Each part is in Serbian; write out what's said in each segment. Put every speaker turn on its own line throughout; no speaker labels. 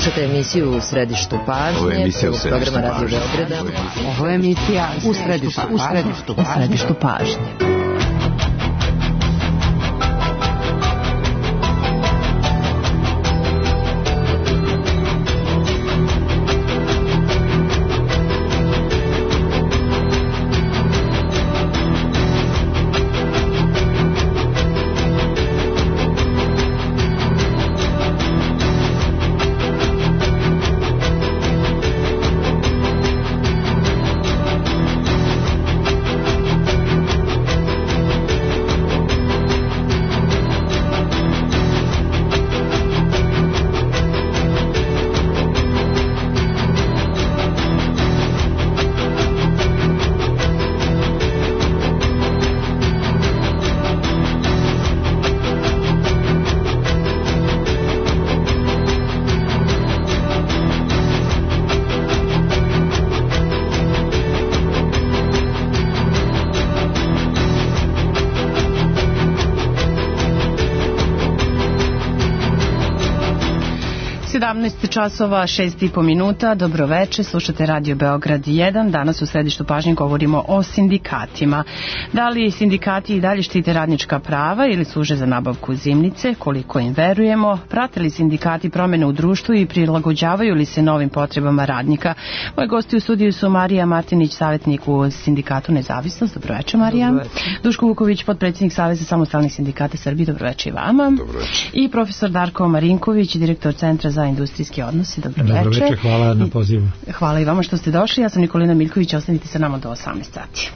Slušajte emisiju U središtu pažnje.
Ovo je emisija U središtu
programa Radio Beograda.
Ovo je emisija U središtu pažnje. Časova 6,5 minuta. Dobro večer, slušate Radio Beograd 1. Danas u središtu pažnje govorimo o sindikatima. Da li sindikati i dalje štite radnička prava ili služe za nabavku zimnice? Koliko im verujemo? Prate li sindikati promjene u društvu i prilagođavaju li se novim potrebama radnika? Moji gosti u studiju su Marija Martinić, savjetnik u Sindikatu Nezavisnost. Dobro večer, Marija.
Dobro večer.
Duško Vuković, potpredsjednik Saveza samostalnih sindikata Srbije. Dobro večer i vama.
Dobro večer.
I profesor Darko Marinković, direktor Centra za industrijski odnosi. Dobro večer.
Hvala na pozivu.
Hvala i vama što ste došli. Ja sam Nikolina Miljković, ostanite sa nama do 18 sati.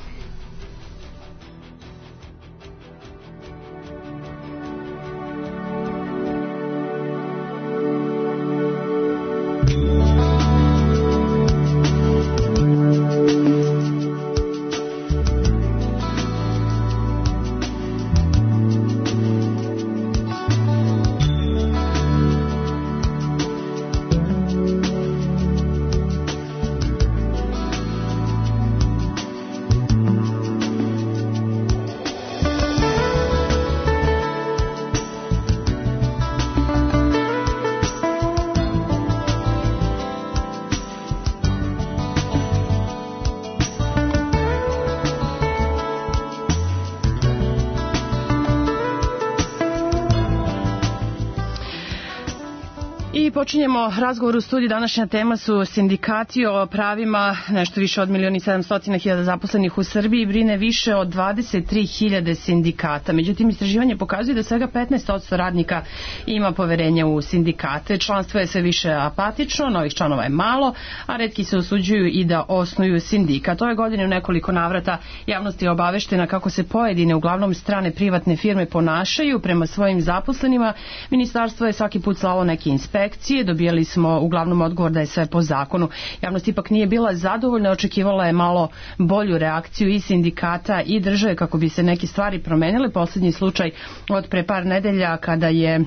Počinjemo razgovor u studiju. Današnja tema su sindikati. O pravima nešto više od 1.700.000 zaposlenih u Srbiji brine više od 23.000 sindikata. Međutim, istraživanje pokazuje da svega 15% radnika ima poverenja u sindikate. Članstvo je sve više apatično, novih članova je malo, a retki se usuđuju i da osnuju sindikat. Ove godine u nekoliko navrata javnost je obaveštena kako se pojedine, uglavnom strane privatne firme ponašaju prema svojim zaposlenima. Ministarstvo je svaki put slalo neke inspekcije. Dobijali smo uglavnom odgovor da je sve po zakonu. Javnost ipak nije bila zadovoljna, očekivala je malo bolju reakciju i sindikata i države kako bi se neke stvari promenile. Posljednji slučaj od pre par nedelja kada je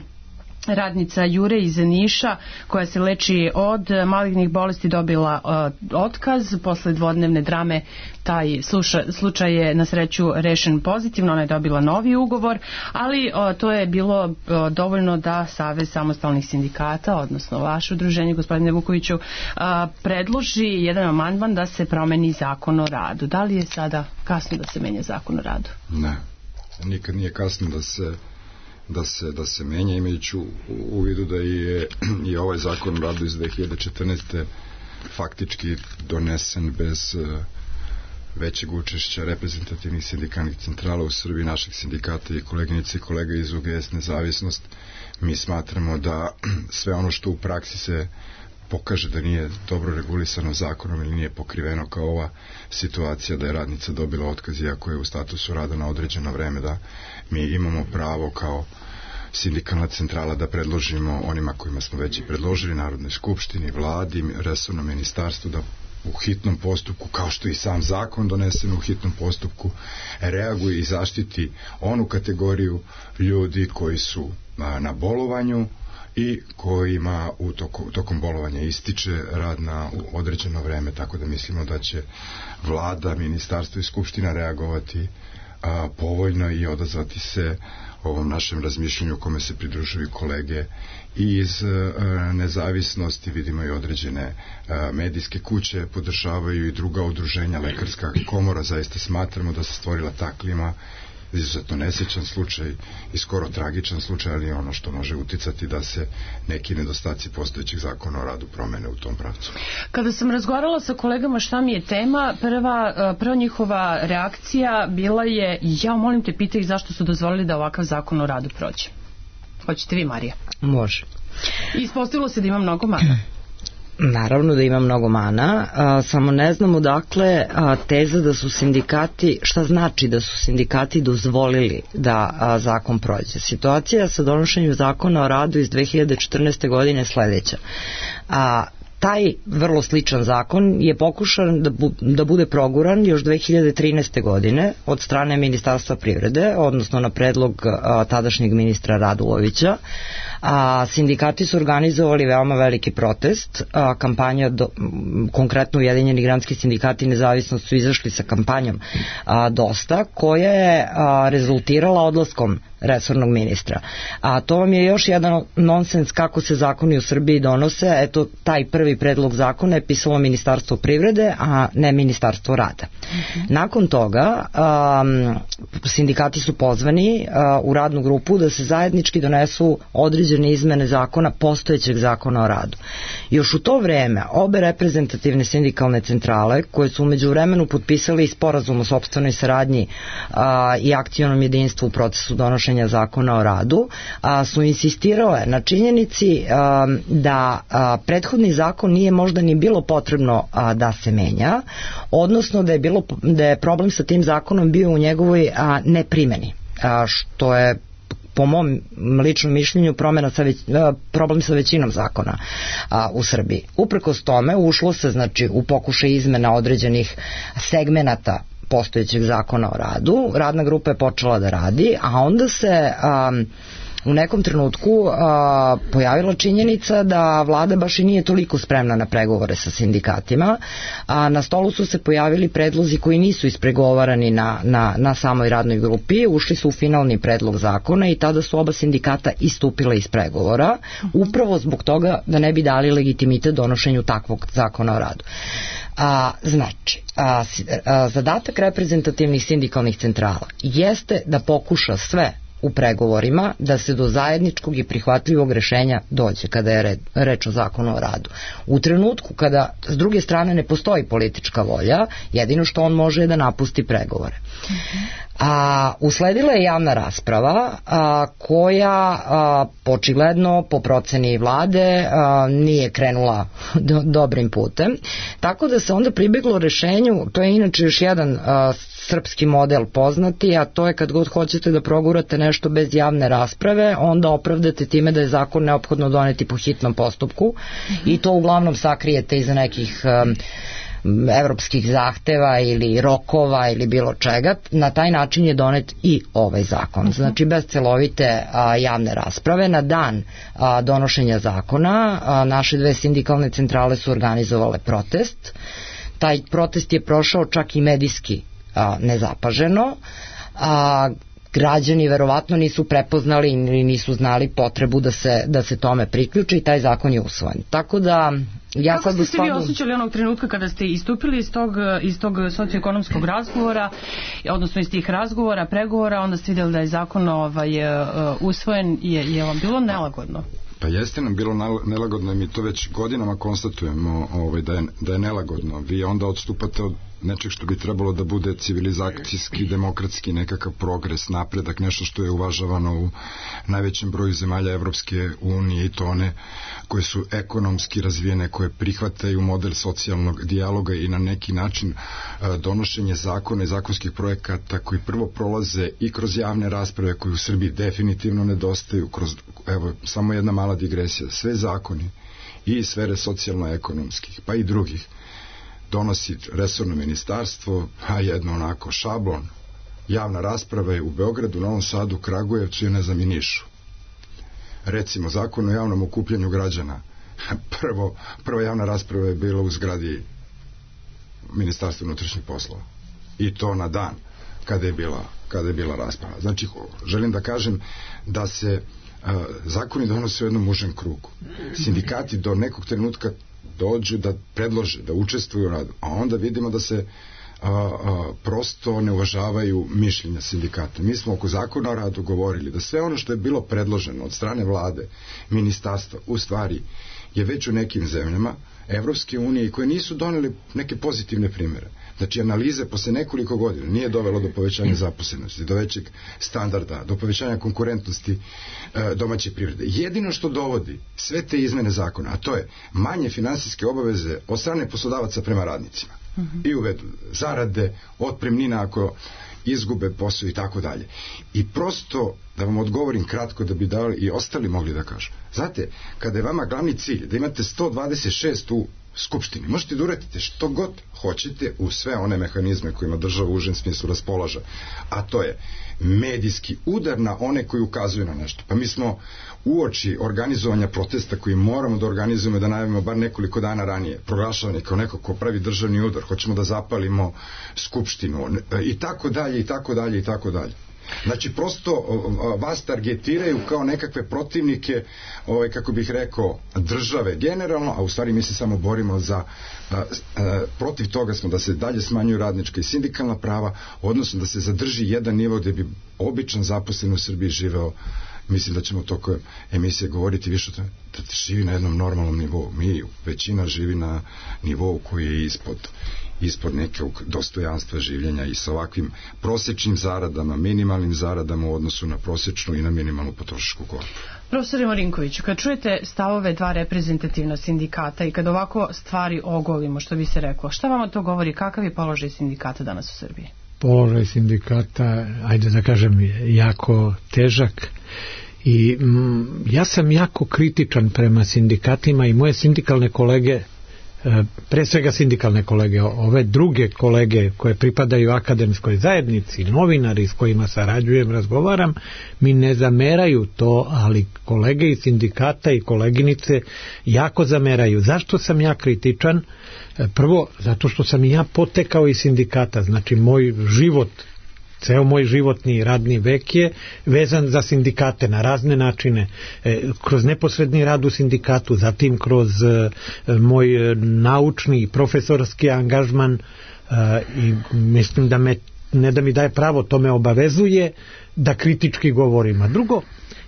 radnica Jure iz Niša koja se leči od malignih bolesti dobila otkaz posle dvodnevne drame. Taj slučaj je na sreću rešen pozitivno, ona je dobila novi ugovor, ali to je bilo dovoljno da Savez samostalnih sindikata, odnosno vaše udruženje, gospodine Vukoviću, predloži jedan amandman da se promeni zakon o radu. Da li je sada kasno da se menja zakon o radu?
Ne, nikad nije kasno da se menja, imajući u vidu da je i ovaj zakon o radu iz 2014. faktički donesen bez većeg učešća reprezentativnih sindikalnih centrala u Srbiji, naših sindikata i koleginice i kolega iz UGS Nezavisnost. Mi smatramo da sve ono što u praksi se pokaže da nije dobro regulisano zakonom ili nije pokriveno kao ova situacija da je radnica dobila otkaz iako je u statusu rada na određeno vreme, da mi imamo pravo kao sindikalna centrala da predložimo onima kojima smo već i predložili, Narodnoj skupštini, vladi, resornom ministarstvu, da u hitnom postupku, kao što i sam zakon donesen u hitnom postupku, reaguje i zaštiti onu kategoriju ljudi koji su na bolovanju i kojima tokom bolovanja ističe rad na određeno vreme, tako da mislimo da će vlada, ministarstvo i skupština reagovati povoljno i odazvati se ovom našem razmišljanju u kome se pridružuju kolege i iz nezavisnosti, vidimo i određene medijske kuće podržavaju i druga udruženja, lekarska komora, zaista smatramo da se stvorila ta klima, izuzetno nesrećan slučaj i skoro tragičan slučaj, ali ono što može uticati da se neki nedostaci postojećeg zakona o radu promene u tom pravcu.
Kada sam razgovarala sa kolegama šta mi je tema, prva njihova reakcija bila je: ja molim te, pitaj ih zašto su dozvolili da ovakav zakon o radu prođe. Hoćete vi, Marija?
Može.
I ispostavilo se da ima mnogo mana.
Naravno da ima mnogo mana, samo ne znamo dakle teza da su sindikati, šta znači da su sindikati dozvolili da zakon prođe. Situacija sa donošenjem zakona o radu iz 2014. godine je sledeća. Taj vrlo sličan zakon je pokušan da bude proguran još 2013. godine od strane Ministarstva privrede, odnosno na predlog tadašnjeg ministra Radulovića. Sindikati su organizovali veoma veliki protest, kampanja, konkretno Ujedinjeni granski sindikati Nezavisnost su izašli sa kampanjom Dosta, koja je rezultirala odlaskom resornog ministra. To vam je još jedan nonsens kako se zakoni u Srbiji donose. Eto, taj prvi predlog zakona je pisalo Ministarstvo privrede, a ne Ministarstvo rada. Nakon toga sindikati su pozvani u radnu grupu da se zajednički donesu određene izmene zakona, postojećeg zakona o radu. Još u to vreme obe reprezentativne sindikalne centrale, koje su umeđu vremenu potpisali sporazum o sopstvenoj saradnji i akcionom jedinstvu u procesu donošenja zakona o radu, su insistirale na činjenici da prethodni zakon nije možda ni bilo potrebno da se menja, odnosno da je problem sa tim zakonom bio u njegovoj neprimeni, što je po mom ličnom mišljenju problem sa većinom zakona u Srbiji. Uprkos tome ušlo se u pokušaj izmena određenih segmenata postojećeg zakona o radu, radna grupa je počela da radi, a onda se u nekom trenutku pojavila činjenica da vlada baš i nije toliko spremna na pregovore sa sindikatima. Na stolu su se pojavili predlozi koji nisu ispregovarani na samoj radnoj grupi, ušli su u finalni predlog zakona i tada su oba sindikata istupile iz pregovora, upravo zbog toga da ne bi dali legitimitet donošenju takvog zakona o radu. Zadatak reprezentativnih sindikalnih centrala jeste da pokuša sve u pregovorima da se do zajedničkog i prihvatljivog rešenja dođe kada je reč o zakonu o radu. U trenutku kada s druge strane ne postoji politička volja, jedino što on može je da napusti pregovore. Usledila je javna rasprava koja očigledno po proceni vlade nije krenula dobrim putem, tako da se onda pribeglo rešenju, to je inače još jedan srpski model poznati, a to je kad god hoćete da progurate nešto bez javne rasprave, onda opravdate time da je zakon neophodno doneti po hitnom postupku i to uglavnom sakrijete iza nekih evropskih zahteva ili rokova ili bilo čega. Na taj način je donet i ovaj zakon. Znači bez celovite javne rasprave. Na dan donošenja zakona naše dve sindikalne centrale su organizovale protest. Taj protest je prošao čak i medijski nezapaženo. Građani verovatno nisu prepoznali ili nisu znali potrebu da se tome priključe i taj zakon je usvojen. Tako da
Kako ste se vi osjećali onog trenutka kada ste istupili iz tog socioekonomskog razgovora, odnosno iz tih razgovora, pregovora, onda ste vidjeli da je zakon usvojen, je vam bilo nelagodno?
Pa jeste nam bilo nelagodno i mi to već godinama konstatujemo da je nelagodno. Vi onda odstupate od nečeg što bi trebalo da bude civilizacijski, demokratski nekakav progres, napredak, nešto što je uvažavano u najvećem broju zemalja Evropske unije i to one koje su ekonomski razvijene, koje prihvataju model socijalnog dijaloga i na neki način donošenje zakona i zakonskih projekata koji prvo prolaze i kroz javne rasprave koje u Srbiji definitivno nedostaju, evo samo jedna mala digresija, sve zakoni i iz sfere socijalno-ekonomskih pa i drugih donosi resorno ministarstvo, a jedno onako šablon. Javna rasprava je u Beogradu, Novom Sadu, Kragujevcu i ne znam i Nišu. Recimo, zakon o javnom okupljanju građana. Prva javna rasprava je bila u zgradi Ministarstva unutrašnjih poslova. I to na dan kada je bila rasprava. Znači, želim da kažem da se zakoni donose u jednom užem krugu. Sindikati do nekog trenutka dođu da predlože, da učestvuju u radu, a onda vidimo da se prosto ne uvažavaju mišljenja sindikata. Mi smo oko zakona o radu govorili da sve ono što je bilo predloženo od strane vlade, ministarstva, u stvari je već u nekim zemljama Evropske unije i koje nisu doneli neke pozitivne primere. Znači, analize posle nekoliko godina nije dovelo do povećanja zaposlenosti, do većeg standarda, do povećanja konkurentnosti domaće privrede. Jedino što dovodi sve te izmene zakona, a to je manje finansijske obaveze od strane poslodavaca prema radnicima. I uvedu zarade, otpremnina ako izgube posao i tako dalje. I prosto, da vam odgovorim kratko da bi dali i ostali mogli da kažu. Znate, kada je vama glavni cilj da imate 126 u Skupštini, možete da uradite što god hoćete u sve one mehanizme kojima država u užem smislu raspolaže, a to je medijski udar na one koji ukazuju na nešto. Pa mi smo uoči organizovanja protesta koji moramo da organizujemo, da najavimo bar nekoliko dana ranije, proglašavani kao neko ko pravi državni udar, hoćemo da zapalimo Skupštinu i tako dalje, i tako dalje, i tako dalje. Znači, prosto vas targetiraju kao nekakve protivnike, kako bih rekao, države generalno, a u stvari mi se samo borimo za protiv toga smo da se dalje smanjuju radnička i sindikalna prava, odnosno da se zadrži jedan nivo gde bi običan zaposlen u Srbiji živeo. Mislim da ćemo tokom emisije govoriti više o tome, da živi na jednom normalnom nivou. Većina živi na nivou koji je ispod nekog dostojanstva življenja i sa ovakvim prosječnim zaradama, minimalnim zaradama u odnosu na prosječnu i na minimalnu potrošačku korpu.
Profesore Marinkoviću, kad čujete stavove dva reprezentativna sindikata i kad ovako stvari ogolimo, što bi se reklo, šta vama to govori, kakav je položaj sindikata danas u Srbiji?
Položaj sindikata, ajde da kažem, jako težak i ja sam jako kritičan prema sindikatima i moje sindikalne kolege, pre svega sindikalne kolege, ove druge kolege koje pripadaju akademskoj zajednici, novinari s kojima sarađujem, razgovaram, mi ne zameraju to, ali kolege iz sindikata i koleginice jako zameraju. Zašto sam ja kritičan? Prvo, zato što sam i ja potekao iz sindikata, znači moj život, ceo moj životni radni vek je vezan za sindikate na razne načine, kroz neposredni rad u sindikatu, zatim kroz moj naučni i profesorski angažman i mislim da me, ne da mi daje pravo, to me obavezuje da kritički govorim. A drugo,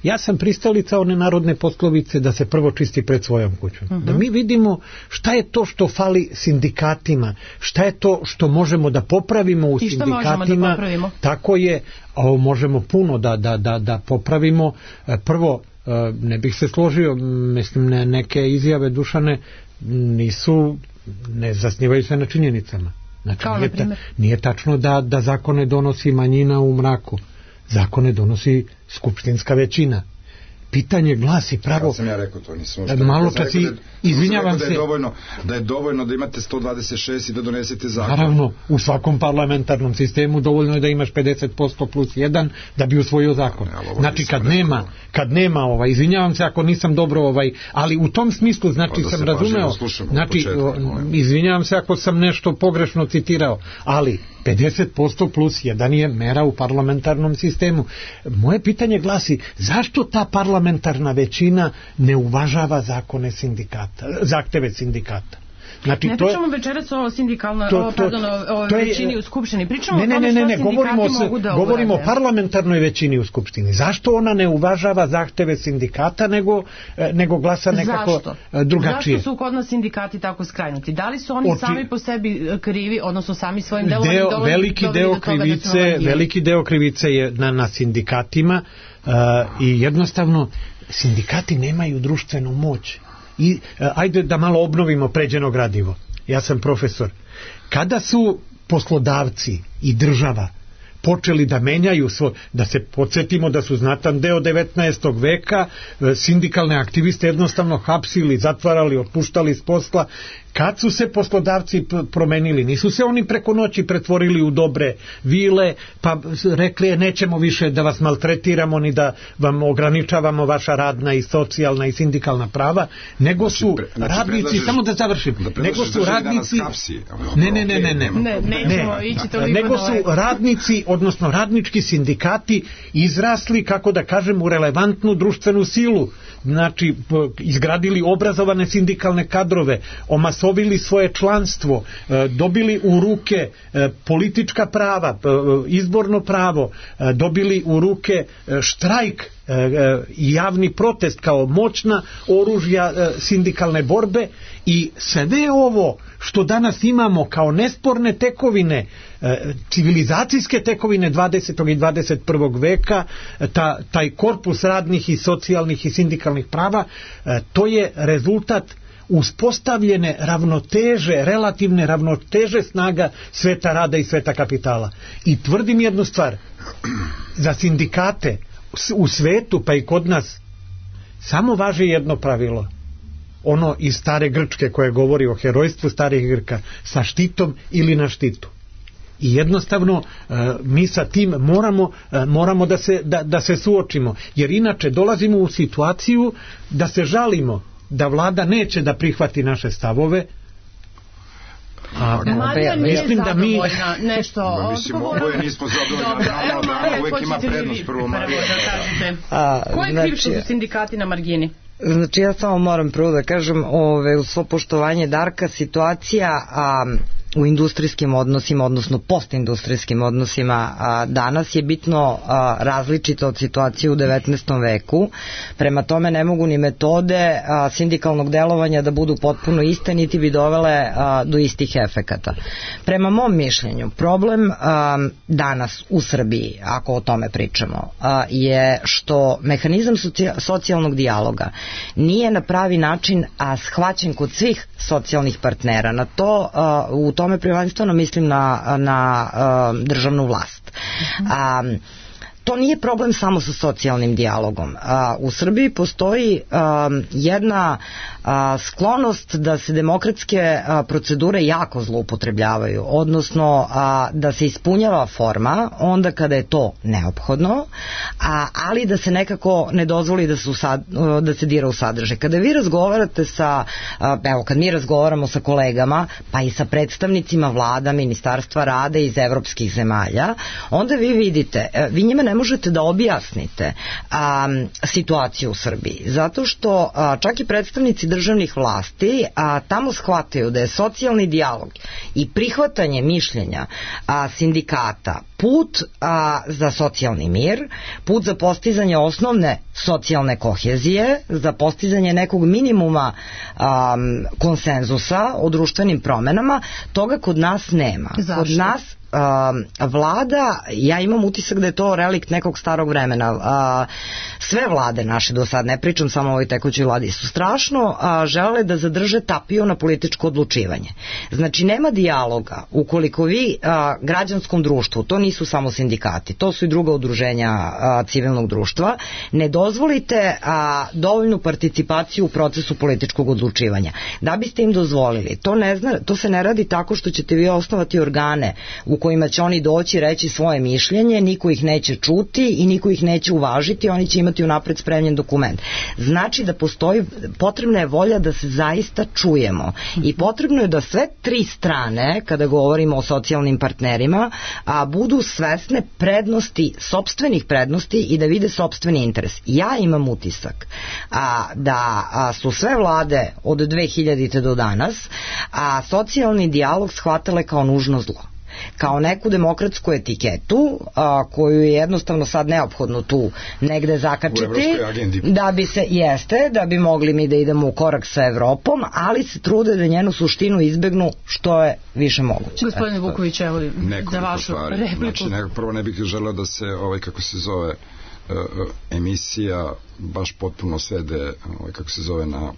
ja sam pristalica one narodne poslovice da se prvo čisti pred svojom kućom. Da mi vidimo šta je to što fali sindikatima, šta je to što možemo da popravimo u sindikatima. Da popravimo? Tako je, ovo možemo puno da popravimo. Prvo, ne bih se složio, mislim, neke izjave Dušane ne zasnivaju se na činjenicama. Znači, nije tačno da zakone donosi manjina u mraku. Zakone donosi skupštinska većina. Pitanje glasi pravo... Kad
sam ja rekao to, nisam
malo čas i izvinjavam se...
Da je dovoljno da imate 126 i da donesete zakon.
Naravno, u svakom parlamentarnom sistemu dovoljno je da imaš 50% plus 1 da bi usvojio zakon. Znači, kad nema izvinjavam se ako nisam dobro, ali u tom smislu, znači, sam razumeo, znači, izvinjavam se ako sam nešto pogrešno citirao, ali 50% plus 1 je mera u parlamentarnom sistemu. Moje pitanje glasi, zašto ta parlamentarna većina ne uvažava zakone sindikata, zahteve sindikata? Znači,
ne pričamo večeras o sindikalnoj, o većini u Skupštini. Pričamo o tome što sindikati mogu da urade.
Govorimo o parlamentarnoj većini u Skupštini. Zašto ona ne uvažava zahteve sindikata, nego glasa nekako drugačije?
Zašto su kod nas sindikati tako skrajnuti? Da li su oni sami po sebi krivi, odnosno sami svojim delom
veliki deo krivice je na sindikatima i jednostavno sindikati nemaju društvenu moć. I ajde da malo obnovimo pređeno gradivo. Ja sam profesor. Kada su poslodavci i država počeli da menjaju da se podsjetimo da su znatan deo 19. veka sindikalne aktiviste jednostavno hapsili, zatvarali, otpuštali s posla, Kad su se poslodavci promenili, nisu se oni preko noći pretvorili u dobre vile, pa rekli nećemo više da vas maltretiramo ni da vam ograničavamo vaša radna i socijalna i sindikalna prava, nego su radnici, samo da završim, nego su radnici, nego su radnici, odnosno radnički sindikati izrasli, kako da kažem, u relevantnu društvenu silu. Znači, izgradili obrazovane sindikalne kadrove, omasovili svoje članstvo, dobili u ruke politička prava, izborno pravo, dobili u ruke štrajk i javni protest kao moćna oružja sindikalne borbe, i sve ovo što danas imamo kao nesporne tekovine, civilizacijske tekovine 20. i 21. veka, taj korpus radnih i socijalnih i sindikalnih prava, to je rezultat uspostavljene ravnoteže, relativne ravnoteže snaga sveta rada i sveta kapitala. I tvrdim jednu stvar, za sindikate u svetu, pa i kod nas, samo važi jedno pravilo, ono iz stare Grčke koje govori o herojstvu starih Grka, sa štitom ili na štitu. I jednostavno mi sa tim moramo da se suočimo, jer inače dolazimo u situaciju da se žalimo da vlada neće da prihvati naše stavove.
Marija nije zadovoljna nešto
oboje nismo zadovoljni, uvek ima prednost prvo Marija.
Ko je kriv što su sindikati na margini?
Znači, ja samo moram prvo da kažem, u svo poštovanje Darka, situacija u industrijskim odnosima, odnosno postindustrijskim odnosima danas je bitno različita od situacije u 19. veku. Prema tome ne mogu ni metode sindikalnog delovanja da budu potpuno iste, niti bi dovele do istih efekata. Prema mom mišljenju, problem danas u Srbiji, ako o tome pričamo, je što mehanizam socijalnog dijaloga nije na pravi način shvaćen kod svih socijalnih partnera. Na to u tome prvenstveno mislim na državnu vlast. To nije problem samo sa socijalnim dijalogom. U Srbiji postoji jedna sklonost da se demokratske procedure jako zloupotrebljavaju, odnosno da se ispunjava forma onda kada je to neophodno, ali da se nekako ne dozvoli da se dira u sadržaj. Kada vi razgovarate kad mi razgovaramo sa kolegama, pa i sa predstavnicima vlada, ministarstva rada iz evropskih zemalja, onda vi vidite, vi njima ne možete da objasnite situaciju u Srbiji, zato što čak i predstavnici državnih vlasti tamo shvataju da je socijalni dijalog i prihvatanje mišljenja sindikata put za socijalni mir, put za postizanje osnovne socijalne kohezije, za postizanje nekog minimuma konsenzusa o društvenim promenama. Toga kod nas nema.
Zašto?
Kod nas vlada, ja imam utisak da je to relikt nekog starog vremena. Sve vlade naše do sad, ne pričam samo o ovoj tekućoj vladi, su strašno žele da zadrže tapiju na političko odlučivanje. Znači, nema dijaloga ukoliko vi građanskom društvu, to nisu samo sindikati, to su i druga udruženja civilnog društva, ne dozvolite dovoljnu participaciju u procesu političkog odlučivanja. Da biste im dozvolili, to se ne radi tako što ćete vi osnovati organe u kojima će oni doći reći svoje mišljenje, niko ih neće čuti i niko ih neće uvažiti, oni će imati unapred spremljen dokument. Znači da potrebna je volja da se zaista čujemo i potrebno je da sve tri strane, kada govorimo o socijalnim partnerima, budu svesne prednosti, sopstvenih prednosti i da vide sopstveni interes. Ja imam utisak da su sve vlade od 2000. do danas socijalni dijalog shvatale kao nužno zlo, kao neku demokratsku etiketu koju je jednostavno sad neophodno tu negde zakačiti da bi mogli mi da idemo u korak sa Evropom, ali se trude da njenu suštinu izbegnu što je više moguće.
Gospodine Vuković, evo za vašu repliku.
Znači, prvo ne bih želeo da se kako se zove emisija baš potpuno svede kako se zove na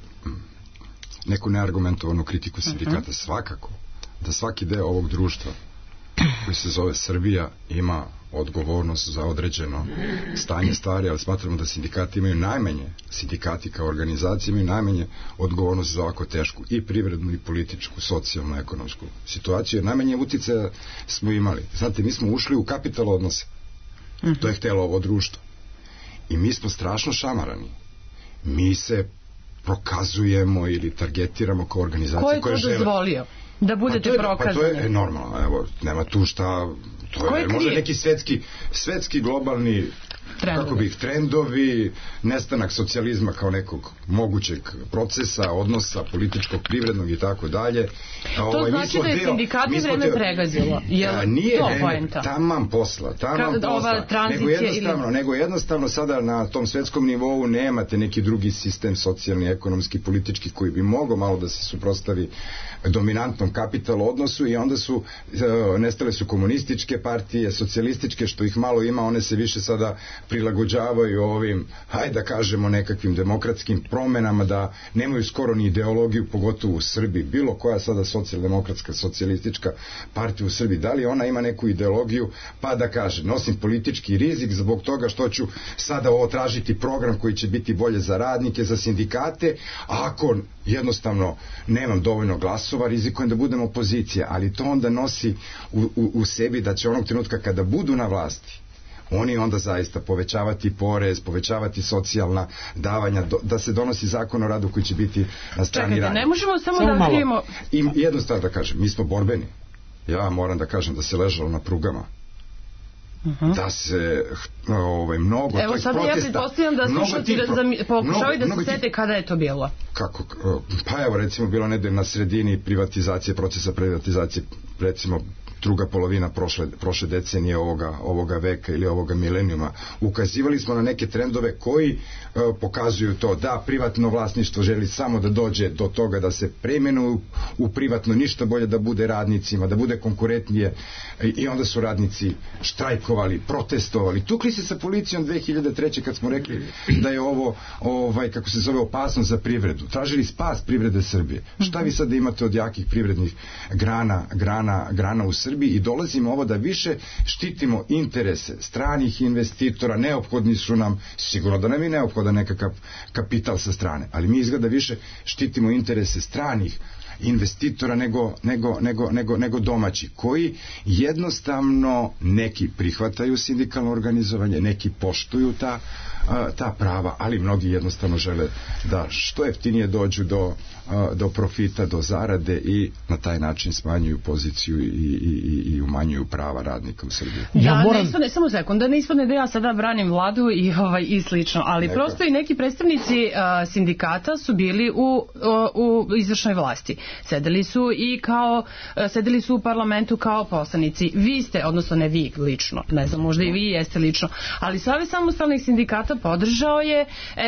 neku neargumentovanu kritiku sindikata. Svakako da svaki deo ovog društva koji se zove Srbija ima odgovornost za određeno stanje stvari, ali smatramo da sindikati imaju najmanje, sindikati kao organizacije imaju najmanje odgovornost za ovako tešku i privrednu i političku, socijalnu, ekonomsku situaciju, jer najmanje uticaja smo imali. Znate, mi smo ušli u kapital odnose. To je htjelo ovo društvo. I mi smo strašno šamarani. Mi se prokazujemo ili targetiramo kao organizacije koje žele.
Ko je to dozvolio da budete prokazani?
Pa to je normalno, evo, nema tu šta, to je možda neki svetski globalni trendovi, nestanak socijalizma kao nekog mogućeg procesa, odnosa političkog, privrednog i tako dalje.
To znači da je sindikati vreme pregazilo.
Nije vreme, taman posla, nego jednostavno sada na tom svetskom nivou nemate neki drugi sistem socijalni, ekonomski, politički koji bi mogao malo da se suprotstavi dominantnom kapital odnosu i onda su nestale su komunističke partije, socijalističke, što ih malo ima, one se više sada prilagođavaju ovim, hajde da kažemo, nekakvim demokratskim promenama, da nemaju skoro ni ideologiju, pogotovo u Srbiji. Bilo koja sada socijaldemokratska, socijalistička partija u Srbiji, da li ona ima neku ideologiju, pa da kaže, nosim politički rizik zbog toga što ću sada ovo tražiti program koji će biti bolje za radnike, za sindikate, a ako jednostavno nemam dovoljno glasova, rizikujem da budem opozicija, ali to onda nosi u sebi da će onog trenutka kada budu na vlasti, oni onda zaista povećavati porez, povećavati socijalna davanja, da se donosi zakon o radu koji će biti na strani radnika.
Ne možemo samo da krijemo...
I jednu stvar da kažem, mi smo borbeni. Ja moram da kažem da se ležalo na prugama. Da se mnogo
evo sada protesta, ja pretpostavljam da slušalci pokušavaju da se sete kada je to bilo.
Kako? Pa evo recimo bilo negde na sredini privatizacije, procesa privatizacije, recimo druga polovina prošle decenije ovoga veka ili ovoga milenijuma. Ukazivali smo na neke trendove koji pokazuju to da privatno vlasništvo želi samo da dođe do toga da se preimenuju u privatno, ništa bolje da bude radnicima, da bude konkurentnije, i onda su radnici štrajkovali, protestovali, tukli se sa policijom 2003. kad smo rekli da je ovo kako se zove, opasnost za privredu. Tražili spas privrede Srbije. Šta vi sad imate od jakih privrednih grana u Srbiji, i dolazimo ovo da više štitimo interese stranih investitora, neophodni su nam, sigurno da nam je neophodan nekakav kapital sa strane, ali mi izgleda više štitimo interese stranih investitora nego domaći, koji jednostavno neki prihvataju sindikalno organizovanje, neki poštuju ta prava, ali mnogi jednostavno žele da što jeftinije dođu do profita, do zarade, i na taj način smanjuju poziciju i umanjuju prava radnika u Srbiji.
Ne samo sekund, da ne ispadne da ja sada branim vladu i slično, ali prosto i neki predstavnici sindikata su bili u izvršnoj vlasti. Sedeli su u parlamentu kao poslanici. Vi ste, odnosno ne vi lično, ne znam, možda i vi jeste lično, ali Savez samostalnih sindikata podržao je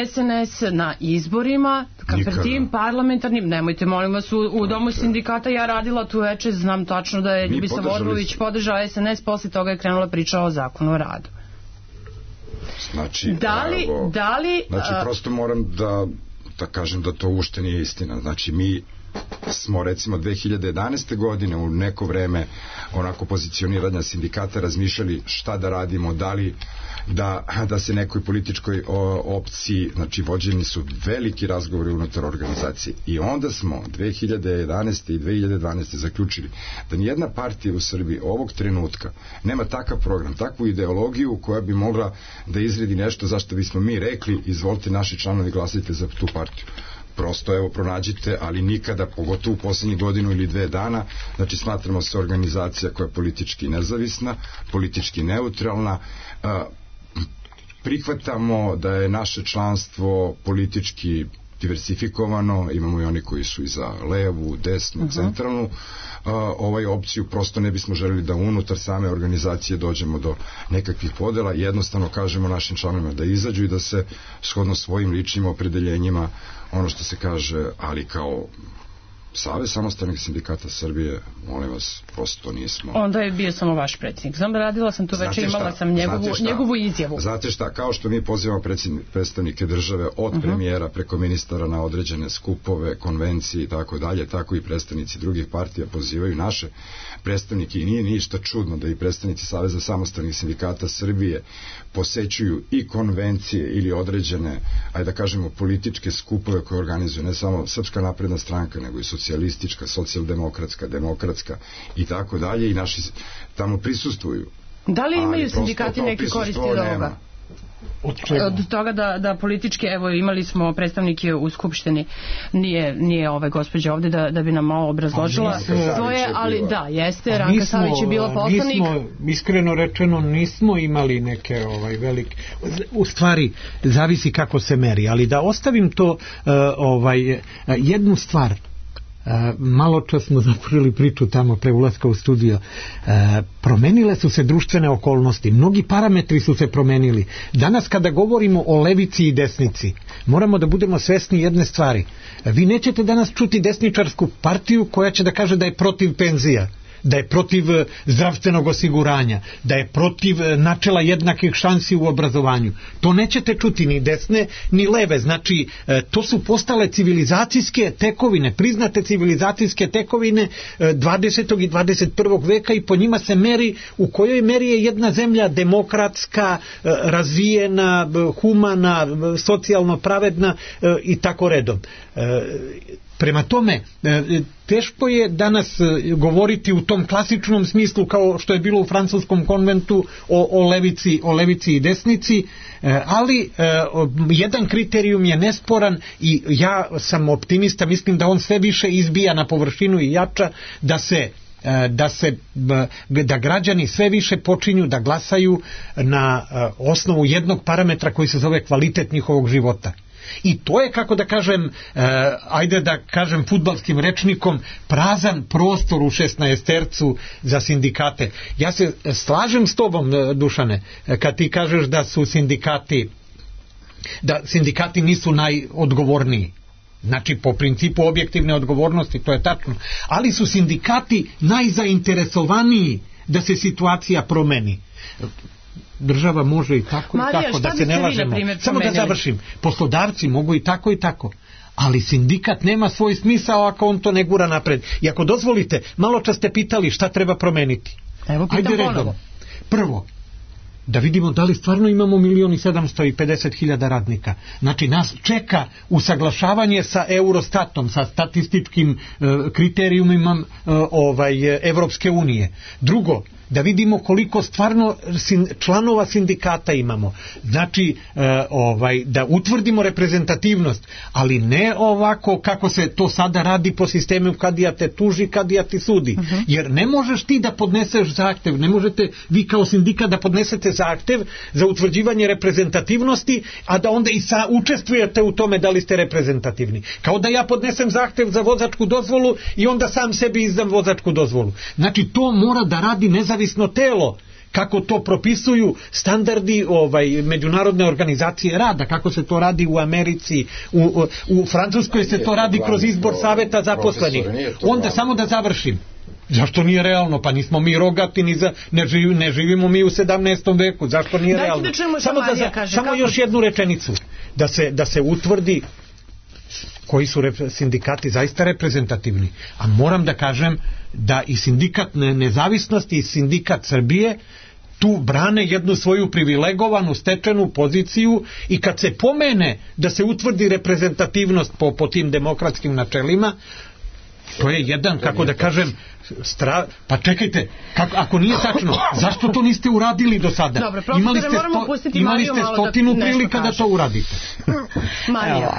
SNS na izborima, pred tim parlamentarnim. Nemojte, molim vas, u domu sindikata ja radila tu veče, znam tačno da je Ljubislav Orlović podržao SNS, posle toga je krenula priča o zakonu o radu.
Znači, prosto moram da kažem da to uopšte nije istina. Znači, mi smo recimo 2011. godine u neko vreme onako pozicioniranja sindikata razmišljali šta da radimo, da li da se nekoj političkoj opciji, znači vođeni su veliki razgovori unutar organizacije, i onda smo 2011. i 2012. zaključili da nijedna partija u Srbiji ovog trenutka nema takav program, takvu ideologiju koja bi mogla da izredi nešto zašto bismo mi rekli izvolite naši članovi glasajte za tu partiju. Prosto evo pronađite, ali nikada, pogotovo u poslednjih godinu ili 2 dana, znači smatramo se organizacija koja je politički nezavisna, politički neutralna, prihvatamo da je naše članstvo politički diversifikovano, imamo i oni koji su i za levu, desnu, centralnu opciju, prosto ne bismo želeli da unutar same organizacije dođemo do nekakvih podela, jednostavno kažemo našim članovima da izađu i da se shodno svojim ličnim opredeljenjima, ono što se kaže, ali kao Savez samostalnih sindikata Srbije, molim vas, prosto nismo.
Onda je bio samo vaš predsjednik. Znam, radila sam tu večer, imala sam njegovu izjavu.
Znate šta, kao što mi pozivamo predstavnike države od premijera preko ministara na određene skupove, konvencije i tako dalje, tako i predstavnici drugih partija pozivaju naše predstavnike i nije ništa čudno da i predstavnici Saveza samostalnih sindikata Srbije posećuju i konvencije ili određene, ajde da kažemo, političke skupove koje organizuju ne samo Srpska napredna stranka, nego i socijalistička, socijaldemokratska, demokratska i tako dalje, i naši tamo prisustvuju.
Da li imaju sindikati neke koristi od ovoga? Od toga da politički, evo imali smo predstavnike u Skupštini, nije gospođa ovde da bi nam malo obrazložila svoje, ali da, jeste, Ranka Savić je bila poslanik.
Iskreno rečeno nismo imali neke velike, u stvari zavisi kako se meri, ali da ostavim to jednu stvar. Malo čas smo započeli priču tamo pre ulaska u studio. Promenile su se društvene okolnosti, mnogi parametri su se promenili. Danas kada govorimo o levici i desnici, moramo da budemo svesni jedne stvari. Vi nećete danas čuti desničarsku partiju koja će da kaže da je protiv penzija, da je protiv zdravstvenog osiguranja, da je protiv načela jednakih šansi u obrazovanju. To nećete čuti ni desne ni leve. Znači, to su postale civilizacijske tekovine, priznate civilizacijske tekovine 20. i 21. veka i po njima se meri u kojoj meri je jedna zemlja demokratska, razvijena, humana, socijalno pravedna i tako redom. Prema tome, teško je danas govoriti u tom klasičnom smislu kao što je bilo u francuskom konventu o levici i desnici, ali jedan kriterijum je nesporan i ja sam optimista, mislim da on sve više izbija na površinu i jača, da građani sve više počinju da glasaju na osnovu jednog parametra koji se zove kvalitet njihovog života. I to je, kako da kažem, ajde da kažem fudbalskim rečnikom, prazan prostor u 16-tercu za sindikate. Ja se slažem s tobom, Dušane, kad ti kažeš da sindikati nisu najodgovorniji. Znači, po principu objektivne odgovornosti, to je tačno. Ali su sindikati najzainteresovaniji da se situacija promeni. Država može i tako
Marija,
i tako, da se ne lažemo. Samo da završim. Poslodavci mogu i tako, ali sindikat nema svoj smisao ako on to ne gura napred. I ako dozvolite, malo čas ste pitali šta treba promeniti.
Evo, pitam ponovo.
Prvo, da vidimo da li stvarno imamo 1.750.000 radnika. Znači, nas čeka usaglašavanje sa Eurostatom, sa statističkim kriterijumima Evropske unije. Drugo, da vidimo koliko stvarno članova sindikata imamo. Znači, da utvrdimo reprezentativnost, ali ne ovako kako se to sada radi po sistemu kadija te tuži, kadija ti sudi. Jer ne možeš ti da podneseš zahtev, ne možete vi kao sindikat da podnesete zahtev za utvrđivanje reprezentativnosti, a da onda i učestvujete u tome da li ste reprezentativni. Kao da ja podnesem zahtev za vozačku dozvolu i onda sam sebi izdam vozačku dozvolu. Znači, to mora da radi nezavisno telo, kako to propisuju standardi međunarodne organizacije rada, kako se to radi u Americi, u Francuskoj se to radi kroz izbor saveta zaposlenih. Onda samo da završim. Zašto nije realno? Pa nismo mi rogati, ne živimo mi u 17. veku. Zašto nije realno? Samo još jednu rečenicu. Da se utvrdi koji su sindikati zaista reprezentativni. A moram da kažem da i sindikat nezavisnosti i sindikat Srbije tu brane jednu svoju privilegovanu stečenu poziciju i kad se pomene da se utvrdi reprezentativnost po tim demokratskim načelima, to je jedan, kako da kažem, pa čekajte, ako nije tačno, zašto to niste uradili do sada?
Dobro,
imali ste 100 prilika da to uradite.
Marija,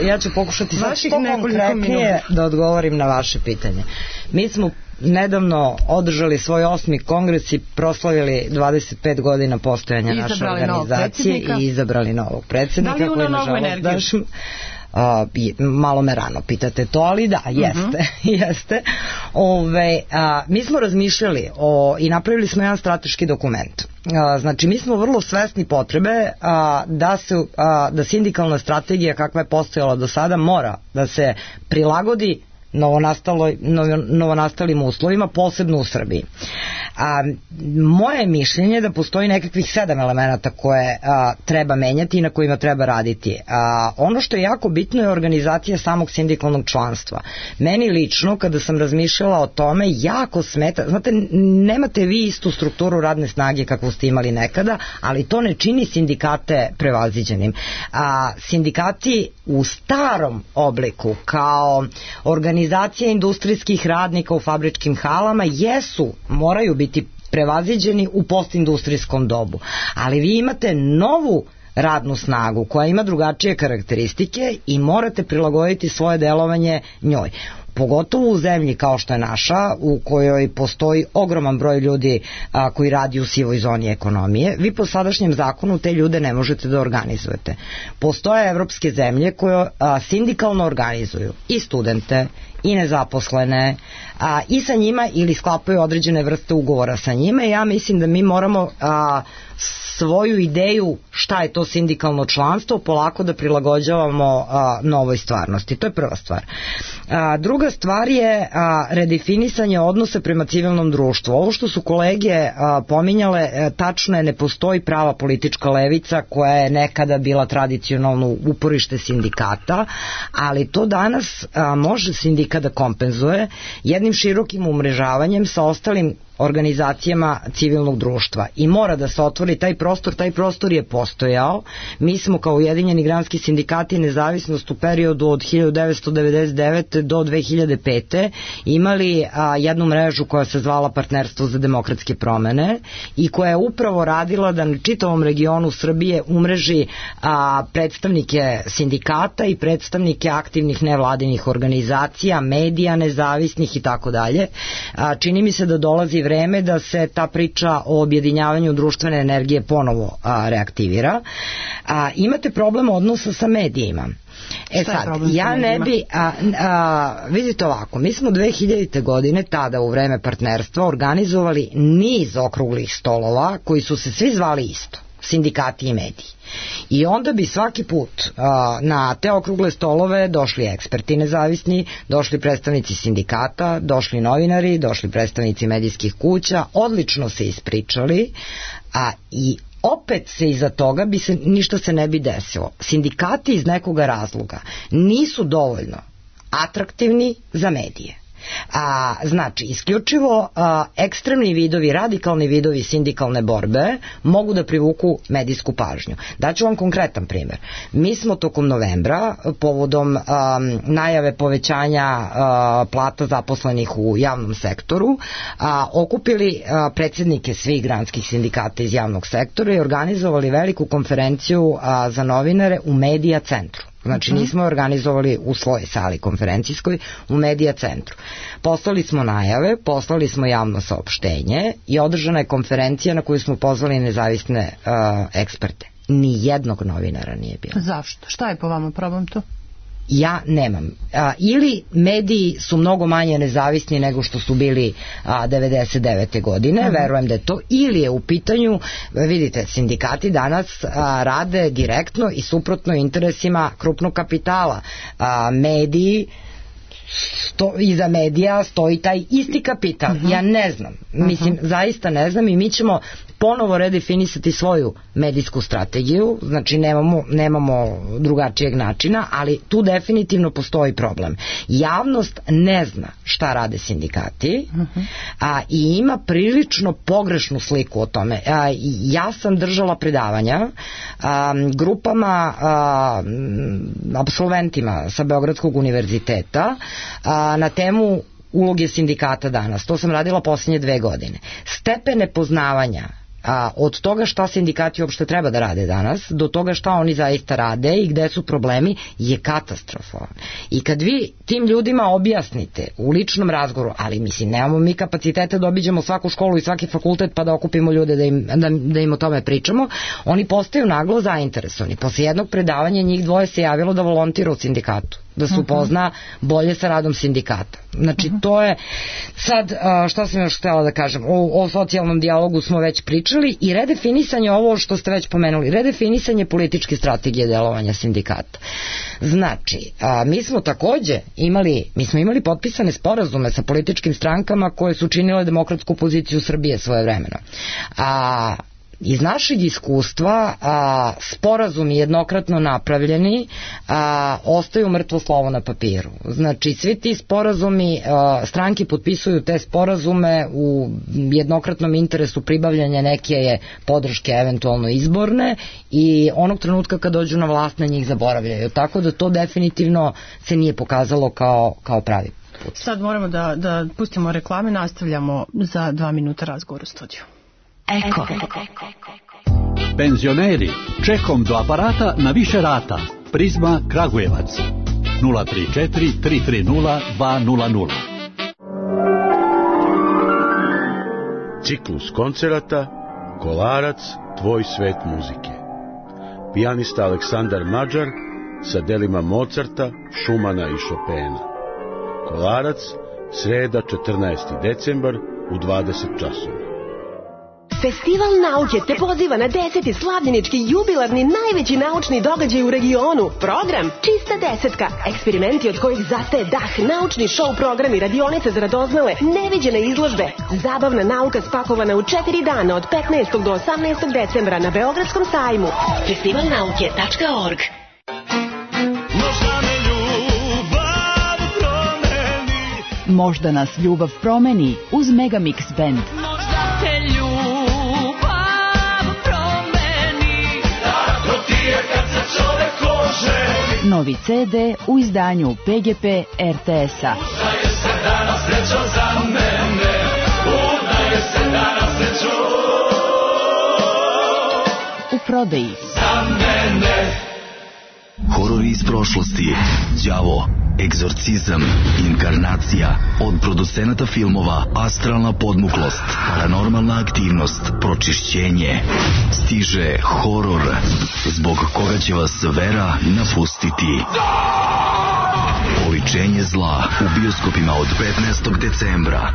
ja ću pokušati sad konkretnije da odgovorim na vaše pitanje. Mi smo nedavno održali svoj 8. kongres i proslavili 25 godina postojanja naše organizacije i izabrali novog predsjednika.
Da li ima novu energiju?
Malo me rano pitate to, ali da, jeste. Mi smo razmišljali i napravili smo jedan strateški dokument. Znači, mi smo vrlo svesni potrebe da sindikalna strategija kakva je postojala do sada mora da se prilagodi novonastalim uslovima, posebno u Srbiji. Moje mišljenje je da postoji nekakvih 7 elemenata koje treba menjati i na kojima treba raditi. Ono što je jako bitno je organizacija samog sindikalnog članstva. Meni lično, kada sam razmišljala o tome, jako smeta, znate, nemate vi istu strukturu radne snage kakvu ste imali nekada, ali to ne čini sindikate prevaziđenim. Sindikati u starom obliku kao organizacija industrijskih radnika u fabričkim halama moraju biti prevaziđeni u postindustrijskom dobu. Ali vi imate novu radnu snagu koja ima drugačije karakteristike i morate prilagoditi svoje delovanje njoj. Pogotovo u zemlji kao što je naša, u kojoj postoji ogroman broj ljudi koji radi u sivoj zoni ekonomije, vi po sadašnjem zakonu te ljude ne možete da organizujete. Postoje evropske zemlje koje sindikalno organizuju i studente, i nezaposlene, i sa njima ili sklapaju određene vrste ugovora sa njima. Ja mislim da mi moramo svoju ideju šta je to sindikalno članstvo polako da prilagođavamo novoj stvarnosti. To je prva stvar. Druga stvar je redefinisanje odnosa prema civilnom društvu. Ovo što su kolege pominjale, tačno je, ne postoji prava politička levica koja je nekada bila tradicionalno uporište sindikata, ali to danas može sindikat da kompenzuje jednim širokim umrežavanjem sa ostalim organizacijama civilnog društva i mora da se otvori taj prostor je postojao. Mi smo kao Ujedinjeni granski sindikati nezavisnost u periodu od 1999. do 2005. imali jednu mrežu koja se zvala Partnerstvo za demokratske promene i koja je upravo radila da na čitavom regionu Srbije umreži predstavnike sindikata i predstavnike aktivnih nevladinih organizacija, medija nezavisnih i tako dalje. Čini mi se da dolazi vreme da se ta priča o objedinjavanju društvene energije ponovo reaktivira. Imate problem odnosa sa medijima. Ja ne bi, vidite ovako, mi smo 2000. godine, tada u vreme partnerstva, organizovali niz okruglih stolova koji su se svi zvali isto, sindikati i mediji. I onda bi svaki put na te okrugle stolove došli eksperti nezavisni, došli predstavnici sindikata, došli novinari, došli predstavnici medijskih kuća, odlično se ispričali, i opet se iza toga ništa se ne bi desilo. Sindikati iz nekoga razloga nisu dovoljno atraktivni za medije. Znači, isključivo ekstremni vidovi, radikalni vidovi sindikalne borbe mogu da privuku medijsku pažnju. Daću vam konkretan primer. Mi smo tokom novembra, povodom najave povećanja plata zaposlenih u javnom sektoru, okupili predsjednike svih granskih sindikata iz javnog sektora i organizovali veliku konferenciju za novinare u Medija centru. Znači nismo organizovali u svojoj sali konferencijskoj, u Medija centru. Poslali smo najave, poslali smo javno saopštenje i održana je konferencija na koju smo pozvali nezavisne eksperte. Ni jednog novinara nije bilo.
Zašto? Šta je po vama problem tu?
Ja nemam. Ili mediji su mnogo manje nezavisni nego što su bili 99. godine, verujem da je to, ili je u pitanju, vidite, sindikati danas rade direktno i suprotno interesima krupnog kapitala. Mediji, iza medija stoji taj isti kapital. Ja ne znam, mislim, zaista ne znam, i mi ćemo ponovo redefinisati svoju medijsku strategiju, znači nemamo drugačijeg načina, ali tu definitivno postoji problem. Javnost ne zna šta rade sindikati, i ima prilično pogrešnu sliku o tome. Ja sam držala predavanja grupama, apsolventima sa Beogradskog univerziteta na temu uloge sindikata danas. To sam radila posljednje 2 godine. Stepen nepoznavanja od toga šta sindikati uopšte treba da rade danas, do toga šta oni zaista rade i gde su problemi, je katastrofalan. I kad vi tim ljudima objasnite u ličnom razgovoru, ali mislim, nemamo mi kapacitete da obiđemo svaku školu i svaki fakultet pa da okupimo ljude da im o tome pričamo, oni postaju naglo zainteresovani. Posle jednog predavanja njih 2 se javilo da volontira u sindikatu. da se upozna bolje sa radom sindikata. Znači, to je sad, šta sam još htjela da kažem, o socijalnom dijalogu smo već pričali i redefinisanje, ovo što ste već pomenuli, redefinisanje političke strategije delovanja sindikata. Znači, mi smo takođe imali potpisane sporazume sa političkim strankama koje su činile demokratsku poziciju Srbije svojevremeno. Iz našeg iskustva sporazumi jednokratno napravljeni ostaju mrtvo slovo na papiru. Znači, svi ti sporazumi, stranke potpisuju te sporazume u jednokratnom interesu pribavljanja neke je podrške eventualno izborne i onog trenutka kad dođu na vlast na njih zaboravljaju. Tako da to definitivno se nije pokazalo kao pravi put.
Sad moramo da pustimo reklame, nastavljamo za 2 minuta razgovor u studiju.
Eko. Penzioneri, čekom do aparata na više rata. Prizma Kragujevac 034 330 200.
Ciklus koncerata Kolarac, tvoj svet muzike. Pijanista Aleksandar Mađar sa delima Mozarta, Šumana i Šopena. Kolarac, sreda 14. decembar u 20 časova.
Festival nauke te poziva na 10. slavljenički jubilarni najveći naučni događaj u regionu. Program Čista desetka. Eksperimenti od kojih zastaje dah, naučni show programi, radionice za radoznale, neviđene izložbe. Zabavna nauka spakovana u 4 dana od 15. do 18. decembra na Beogradskom sajmu. festivalnauke.org.
Možda nas ljubav promeni uz Megamix Band. Novi CD u izdanju PGP RTS-a. U prodaji.
Horori iz prošlosti, đavo, egzorcizam, inkarnacija, od producenata filmova Astralna podmuklost, Paranormalna aktivnost, Pročišćenje. Stiže horor, zbog koga će vas vera napustiti. Oličenje zla u bioskopima od 15. decembra.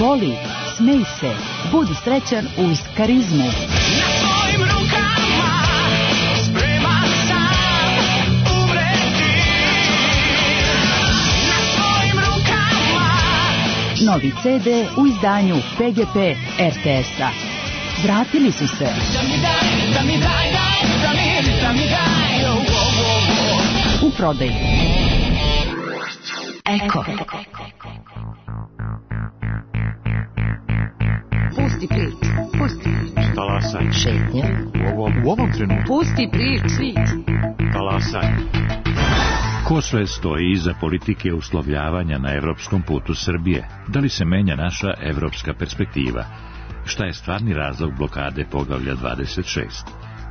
Voli, smej se, budi srećan uz karizmu.
Na svojim rukama spreman sam umreti. Na svojim rukama.
Novi CD u izdanju PGP RTS-a. Vratili su se. U prodaji. Eko.
Pusti priču, pusti priču.
Talasaj.
Šetnja.
U ovom trenutku.
Pusti priču.
Talasaj. Ko sve stoji iza politike uslovljavanja na evropskom putu Srbije? Da li se menja naša evropska perspektiva? Šta je stvarni razlog blokade poglavlja 26?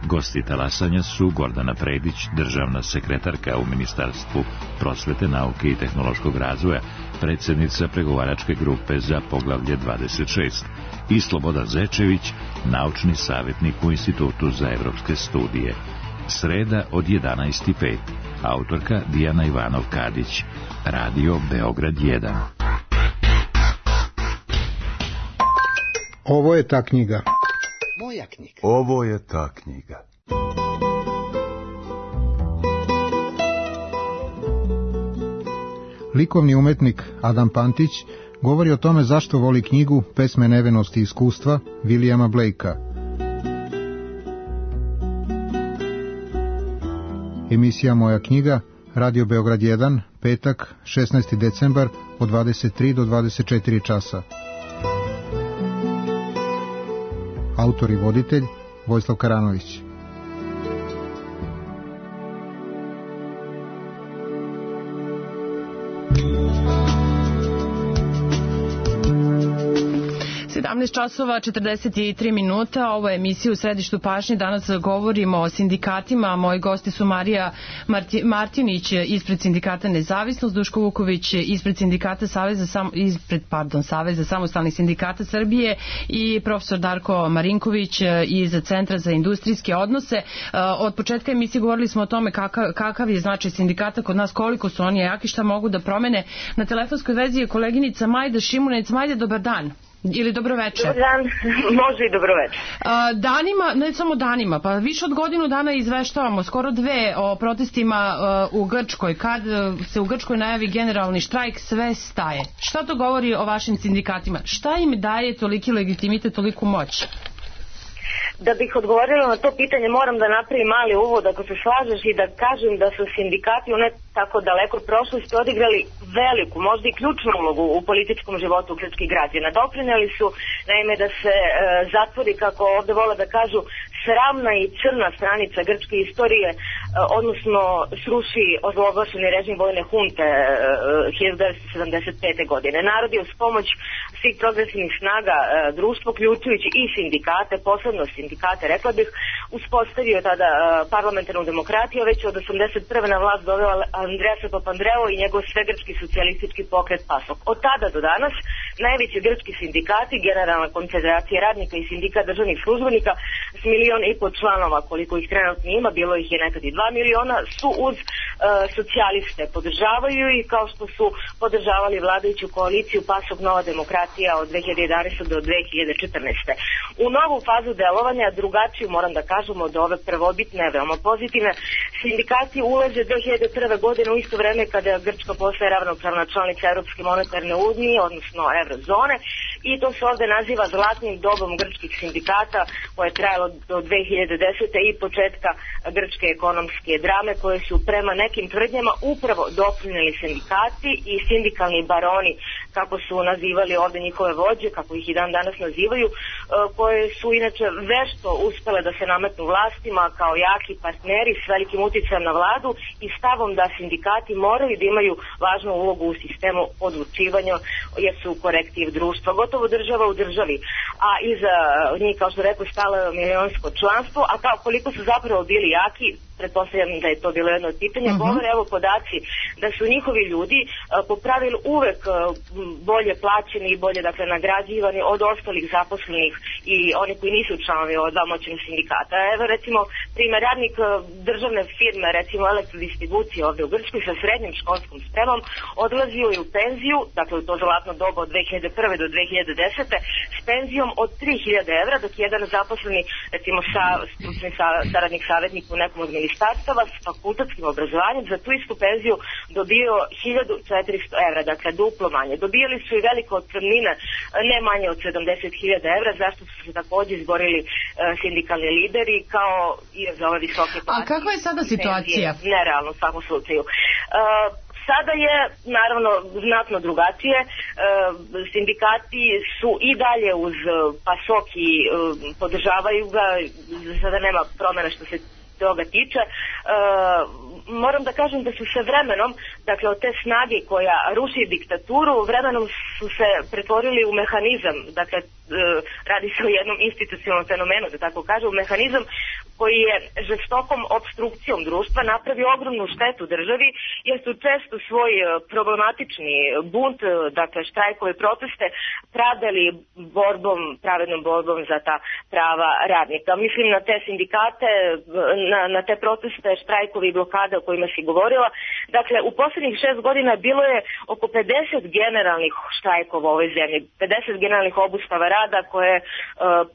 Gosti talasanja su Gordana Predić, državna sekretarka u Ministarstvu prosvete, nauke i tehnološkog razvoja, predsjednica pregovaračke grupe za poglavlje 26, i Slobodan Zečević, naučni savjetnik u Institutu za evropske studije. Sreda od 11:05. Autorka Dijana Ivanov-Kadić. Radio Beograd 1.
Ovo je ta knjiga.
Moja knjiga.
Ovo je ta knjiga.
Likovni umetnik Adam Pantić govori o tome zašto voli knjigu Pesme nevenosti i iskustva Williama Blakea. Emisija Moja knjiga, Radio Beograd 1, petak, 16. decembar od 23 do 24 časa. Autor i voditelj Vojislav Karanović.
17 časova 43 minuta, ovo je emisija u središtu pažnje. Danas govorimo o sindikatima. Moji gosti su Marija Martinić ispred sindikata Nezavisnost, Duško Vuković ispred sindikata Saveza samostalnih sindikata Srbije i profesor Darko Marinković iz Centra za industrijske odnose. Od početka emisije govorili smo o tome kakav je značaj sindikata kod nas, koliko su oni jaki, šta mogu da promene. Na telefonskoj vezi je koleginica Majda Šimunec. Majda, dobar dan. Ili dobroveče.
Dobar dan, može i dobroveče.
Danima, ne samo danima, pa više od godinu dana izveštavamo, skoro 2 o protestima u Grčkoj. Kad se u Grčkoj najavi generalni štrajk, sve staje. Šta to govori o vašim sindikatima? Šta im daje toliki legitimitet, toliku moć?
Da bih odgovorila na to pitanje, moram da napravim mali uvod, ako se slažeš, i da kažem da su sindikati u ne tako daleko prošlosti odigrali veliku, možda i ključnu ulogu u političkom životu grčkih građana. Doprineli su, naime, da se zatvori, kako ovde vole da kažu, sramna i crna stranica grčke istorije, odnosno sruši ozloglašeni režim vojne hunte 1975. godine. Narod je uz pomoć svih progresivnih snaga društva, uključujući i sindikate, posebno sindikate, rekla bih, uspostavio tada parlamentarnu demokratiju, već od 81. na vlast doveo Andreasa Papandreou i njegov svegrčki socijalistički pokret PASOK. Od tada do danas najveći grčki sindikati, Generalna konfederacija radnika i sindikat državnih službenika s 1,5 miliona članova, koliko ih trenutno ima, bilo ih je nekad i 2 miliona, su uz socijaliste, podržavaju i kao što su podržavali vladajuću koaliciju PASOK Nova demokratija od 2011. do 2014. U novu fazu delovanja, drugačiju moram da kažem od ove prvobitne, veoma pozitivne, sindikati ulaze 2001. godine u isto vreme kada Grčka postaje ravnopravna članica Evropske monetarne unije, odnosno Eurozone, i to se ovde naziva zlatnim dobom grčkih sindikata, koje je trajalo do 2010. i početka grčke ekonomske drame, koje su prema nekim tvrdnjama upravo doprineli sindikati i sindikalni baroni, kako su nazivali ovde njihove vođe, kako ih i dan danas nazivaju, koje su inače vešto uspele da se nametnu vlastima kao jaki partneri s velikim uticajem na vladu i stavom da sindikati moraju da imaju važnu ulogu u sistemu odlučivanja, jer su korektiv društva, gotovo država u državi, a iza njih, kao što rekao, stalo je milionsko članstvo, a kao koliko su zapravo bili jaki, pretpostavljam da je to bilo jedno od pitanja, govore evo podaci da su njihovi ljudi po pravilu uvek bolje plaćeni i bolje, dakle, nagrađivani od ostalih zaposlenih i oni koji nisu članovi od dva moćnih sindikata. Evo recimo primjer, radnik državne firme, recimo elektrodistribucije ovde u Grčkoj sa srednjim školskom spremom odlazio je u penziju, dakle u to zlatno doba od 2001. do 2010. s penzijom od 3.000 evra, dok jedan zaposleni, recimo stručni saradnik, savjetnik u nekom od ministarstava s fakultetskim obrazovanjem za tu istu penziju dobio 1.400 evra, dakle duplo manje. Dobijali su i velike otpremnine, ne manje od 70.000 evra, zašto su se takođe izborili sindikalni lideri kao i za ove visoke plate.
A kakva je sada situacija?
Nerealno u svakom slučaju. Sada je naravno znatno drugačije. Sindikati su i dalje uz PASOK i podržavaju ga, sada nema promjena što se toga tiče. Moram da kažem da su se vremenom, dakle od te snage koja ruši diktaturu, vremenom su se pretvorili u mehanizam, dakle radi se o jednom institucionalnom fenomenu, da tako kažem, mehanizam koji je žestokom obstrukcijom društva napravio ogromnu štetu državi, jer su često svoj problematični bunt, dakle štrajkove, proteste, pravdali pravednom borbom za ta prava radnika. Mislim na te sindikate, na te proteste, štrajkovi i blokade o kojima si govorila. Dakle, u poslednjih 6 godina bilo je oko 50 generalnih štrajkova u ovoj zemlji, 50 generalnih obustava rada koje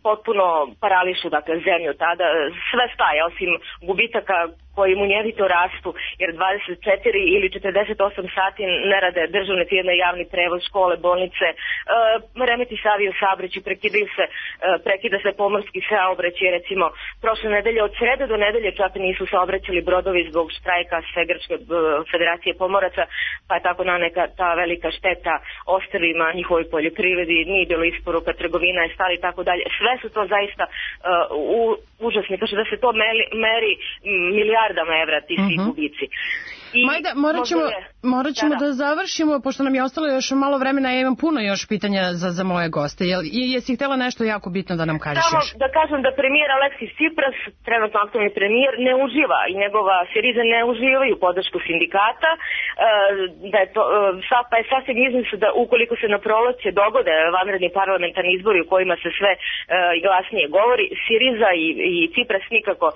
potpuno parališu, dakle, zemlju tada. Sve staje, osim gubitaka koji munjevito rastu, jer 24 ili 48 sati ne rade državne firme, javni prevoz, škole, bolnice, remeti se avio saobraćaj, prekida se pomorski saobraćaj, recimo prošle nedelje od srede do nedelje čak nisu saobraćali brodovi zbog štrajka Svegrčke federacije pomoraca, pa je tako naneka ta velika šteta ostrvima, njihovoj poljoprivredi, nije bilo isporuka, trgovina je stala i tako dalje. Sve su to zaista užasni, kaže da se to meri milijardama evra ti svi gubici.
Majda, morat ćemo da završimo, pošto nam je ostalo još malo vremena, ja imam puno još pitanja za moje goste. Jesi htjela nešto jako bitno da nam kažeš još?
Samo da kažem da premijer Aleksis Tsipras, trenutno aktualni premijer, ne uživa i njegova Siriza ne uživaju podršku sindikata, da je to, pa je sasvim izmisao da ukoliko se na proleće dogode vanredni parlamentarni izbori u kojima se sve i glasnije govori, Siriza i Tsipras nikako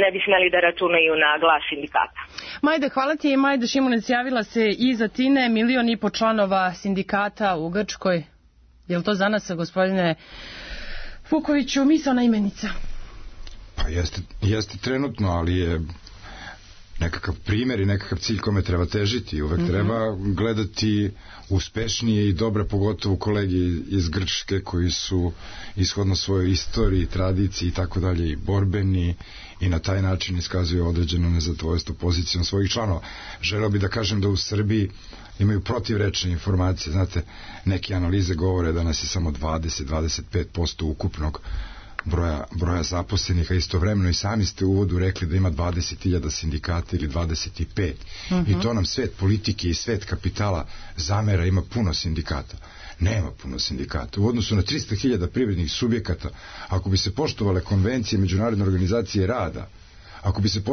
ne bi smeli da računaju na glas sindikata.
Majda, hvala ti. Majda Šimunec javila se iz Atine, 1,5 miliona članova sindikata u Grčkoj. Je li to za nas, gospodine Vukoviću, misaona imenica?
Pa jeste trenutno, ali je nekakav primjer i nekakav cilj kome treba težiti. Uvek treba gledati uspešnije i dobre, pogotovo kolegi iz Grčke koji su ishodno svojoj istoriji, tradiciji i tako dalje i borbeni i na taj način iskazuju određeno nezadovoljstvo pozicijom svojih članova. Želeo bih da kažem da u Srbiji imaju protivrečne informacije. Znate, neke analize govore da nas je samo 20-25% ukupnog broja zaposlenih, a istovremeno i sami ste u uvodu rekli da ima 20.000 sindikata ili 25. I to nam svet politike i svet kapitala zamera, ima puno sindikata. Nema puno sindikata. U odnosu na 300.000 privrednih subjekata, ako bi se poštovale konvencije Međunarodne organizacije rada, ako bi se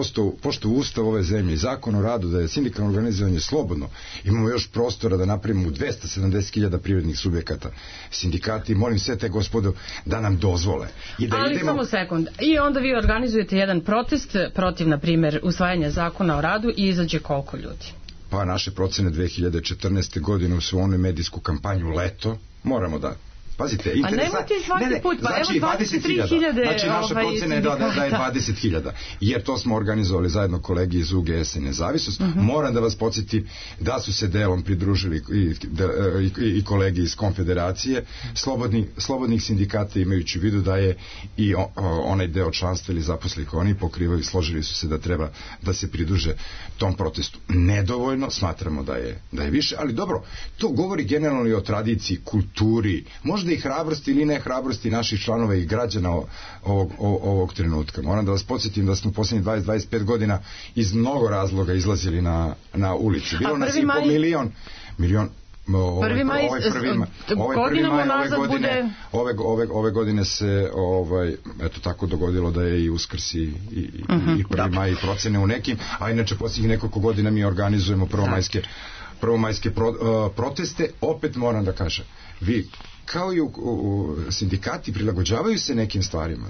poštovao ustav ove zemlje i zakon o radu da je sindikalno organizovanje slobodno, imamo još prostora da napravimo u 270.000 privrednih subjekata sindikati. Molim sve te gospodo da nam dozvole.
Ali samo sekund. I onda vi organizujete jedan protest protiv, na primjer, usvajanja zakona o radu i izađe koliko ljudi?
Pa naše procene 2014. godine su onu medijsku kampanju Leto, moramo da pazite, interesantno.
A nemojte svaki put, pa
znači,
evo 23.000.
Znači naša procena je da je 20.000. Jer to smo organizovali zajedno kolegi iz UGS i Nezavisnost. Moram da vas podsjetim da su se delom pridružili i kolegi iz Konfederacije slobodnih sindikata, imajući u vidu da je i onaj deo članstva ili zaposlenih oni pokrivaju, složili su se da treba da se pridruže tom protestu. Nedovoljno, smatramo da je više, ali dobro, to govori generalno i o tradiciji, kulturi, možda i hrabrosti ili ne hrabrosti naših članova i građana ovog trenutka. Moram da vas podsjetim da smo posljednjih 20-25 godina iz mnogo razloga izlazili na ulicu. Bilo nas i po milion ove godine se eto tako dogodilo da je i Uskrs i 1. maj i procene u nekim, a inače posljednjih nekoliko godina mi organizujemo prvomajske proteste. Opet moram da kažem, vi kao i u sindikati prilagođavaju se nekim stvarima.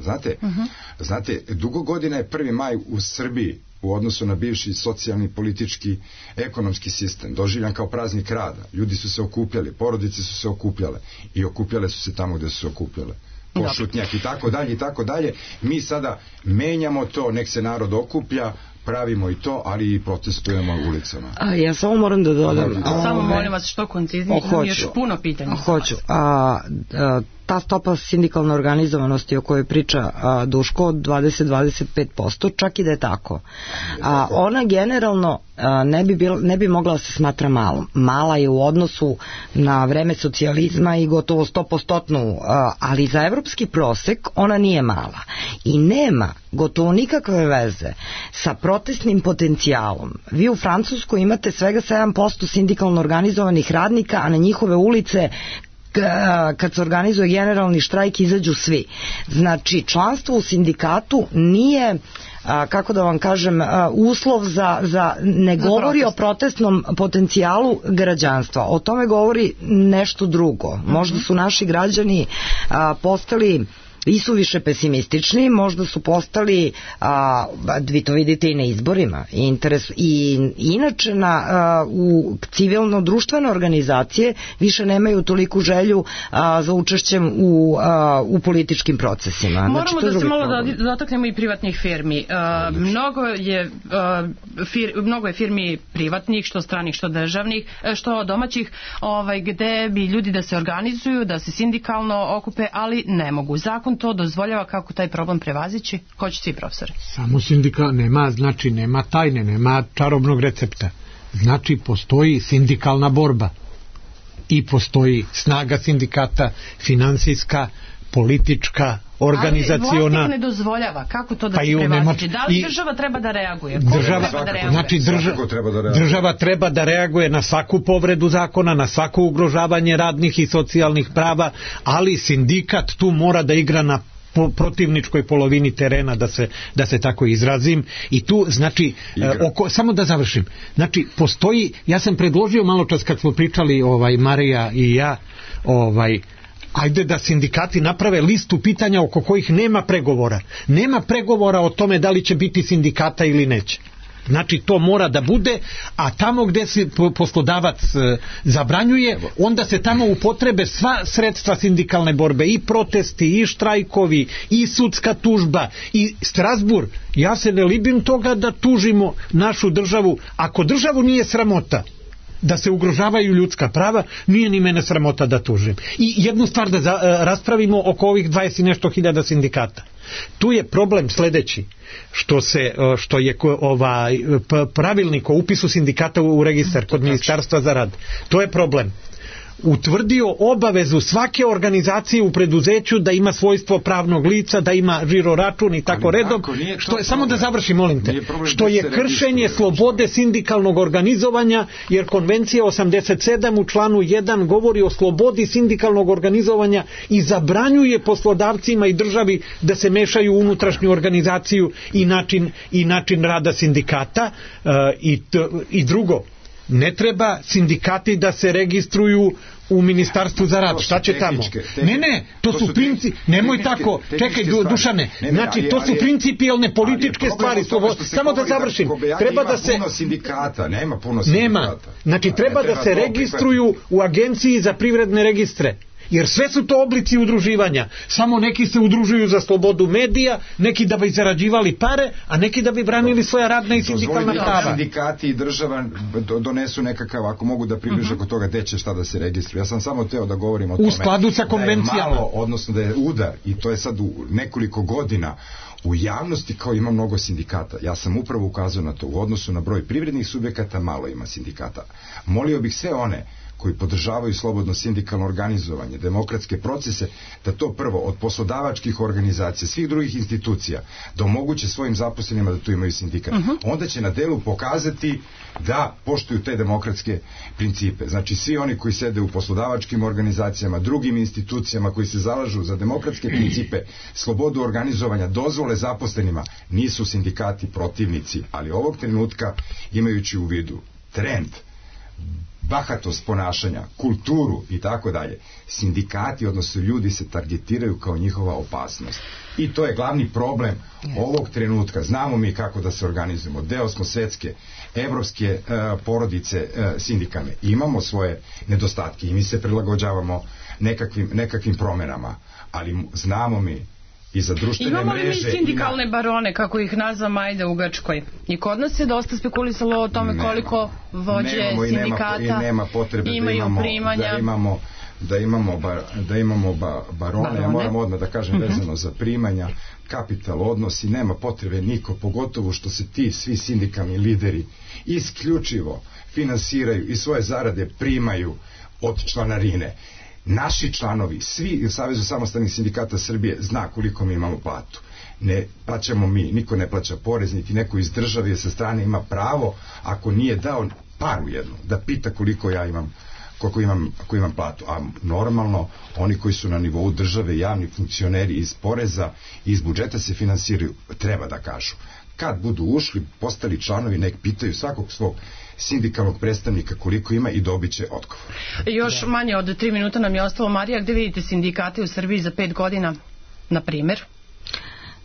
Znate, dugo godina je 1. maj u Srbiji u odnosu na bivši socijalni, politički, ekonomski sistem doživljan kao praznik rada. Ljudi su se okupljali, porodice su se okupljale i okupljale su se tamo gde su se okupljale. Pošutnjak i tako dalje. Mi sada menjamo to, nek se narod okuplja, pravimo i to, ali i protestujemo u ulicama.
Ja samo moram da dodam.
Samo molim vas što konciznije, imam još puno pitanja.
Hoću. Ta stopa sindikalne organizovanosti o kojoj priča Duško od 20-25%, čak i da je tako. Ona generalno ne bi mogla da se smatra malom. Mala je u odnosu na vreme socijalizma i gotovo 100%, ali za evropski prosek ona nije mala. I nema gotovo nikakve veze sa protestnim potencijalom. Vi u Francuskoj imate svega 7% sindikalno organizovanih radnika, a na njihove ulice kad se organizuje generalni štrajk izađu svi. Znači, članstvo u sindikatu nije, kako da vam kažem, uslov ne govori o protestnom potencijalu građanstva. O tome govori nešto drugo. Možda su naši građani postali i su više pesimistični, možda su postali, vi to vidite i na izborima, i inače u civilno-društvene organizacije više nemaju toliku želju za učešćem u političkim procesima.
Moramo da se malo dotaknemo i privatnih firmi. Mnogo je firmi privatnih, što stranih, što državnih, što domaćih, gde bi ljudi da se organizuju, da se sindikalno okupe, ali ne mogu. Zakon to dozvoljava. Kako taj problem prevazići? Ko će ti, profesore?
Samo sindikat nema tajne, nema čarobnog recepta. Znači, postoji sindikalna borba i postoji snaga sindikata, finansijska, politička, organizaciona.
Ali vlasnik ne dozvoljava. Kako to da se prevaziđe? Da li država treba da reaguje?
Država treba da reaguje na svaku povredu zakona, na svako ugrožavanje radnih i socijalnih prava, ali sindikat tu mora da igra na protivničkoj polovini terena, da se tako izrazim, i tu znači samo da završim, znači postoji, ja sam predložio malo čas kad smo pričali Marija i ja, ajde da sindikati naprave listu pitanja oko kojih nema pregovora o tome da li će biti sindikata ili neće. Znači to mora da bude, a tamo gde se poslodavac zabranjuje, onda se tamo upotrebe sva sredstva sindikalne borbe, i protesti, i štrajkovi, i sudska tužba, i Strasburg. Ja se ne libim toga da tužimo našu državu. Ako državu nije sramota da se ugrožavaju ljudska prava, nije ni mene sramota da tužim. I jednu stvar da raspravimo oko ovih 20 i nešto hiljada sindikata. Tu je problem sledeći, što je pravilnik o upisu sindikata u registar kod Ministarstva za rad. To je problem. Utvrdio obavezu svake organizacije u preduzeću da ima svojstvo pravnog lica, da ima žiro račun i tako redom, što je, samo da završim, molim te, što je kršenje slobode sindikalnog organizovanja, jer konvencija 87 u članu 1 govori o slobodi sindikalnog organizovanja i zabranjuje poslodavcima i državi da se mešaju u unutrašnju organizaciju i način rada sindikata. I drugo, ne treba sindikati da se registruju u Ministarstvu za rad. Šta će tamo? Ne, to su principi. Nemoj tako. Čekaj, Dušane. Znači, to su principijelne političke stvari. Samo da završim. Treba da se...
Nema puno sindikata.
Znači, treba da se registruju u Agenciji za privredne registre. Jer sve su to oblici udruživanja. Samo neki se udružuju za slobodu medija, neki da bi zarađivali pare, a neki da bi branili svoja radna i sindikalna prava.
Sindikati i država donesu nekakav, ako mogu da približe kod toga, gde će šta da se registruje. Ja sam samo teo da govorim o tome.
U skladu sa konvencijama.
Odnosno da je udar, i to je sad u nekoliko godina, u javnosti kao ima mnogo sindikata. Ja sam upravo ukazao na to. U odnosu na broj privrednih subjekata malo ima sindikata. Molio bih sve one koji podržavaju slobodno sindikalno organizovanje, demokratske procese, da to prvo od poslodavačkih organizacija, svih drugih institucija, da omoguće svojim zaposlenima da tu imaju sindikat. Onda će na delu pokazati da poštuju te demokratske principe. Znači, svi oni koji sede u poslodavačkim organizacijama, drugim institucijama koji se zalažu za demokratske principe, slobodu organizovanja, dozvole zaposlenima, nisu sindikati protivnici, ali ovog trenutka, imajući u vidu trend, bahatost ponašanja, kulturu i tako dalje, sindikati, odnosno ljudi, se targetiraju kao njihova opasnost. I to je glavni problem ovog trenutka. Znamo mi kako da se organizujemo. Deo smo svetske, evropske porodice sindikalne. Imamo svoje nedostatke i mi se prilagođavamo nekakvim promenama. Ali znamo mi i za društvene mreže.
Imamo li mi sindikalne barone, kako ih nazva Majda u Grčkoj? I kod nas se dosta spekulisalo o tome koliko vođe sindikata imaju primanja.
Da imamo barone. Ja moram odmah da kažem vezano za primanja, kapital odnosi, nema potrebe niko, pogotovo što se ti svi sindikalni lideri isključivo finansiraju i svoje zarade primaju od članarine. Naši članovi, svi u Savezu samostalnih sindikata Srbije zna koliko mi imamo platu. Ne plaćamo mi, niko ne plaća porez, niti neko iz države sa strane ima pravo, ako nije dao paru jednu, da pita koliko ja imam, koliko imam platu. A normalno, oni koji su na nivou države, javni funkcioneri iz poreza i iz budžeta se finansiraju, treba da kažu. Kad budu ušli, postali članovi, nek pitaju svakog svog sindikalnog predstavnika koliko ima i dobit će odgovor.
Još manje od 3 minuta nam je ostalo. Marija, gde vidite sindikate u Srbiji za 5 godina, na primjer?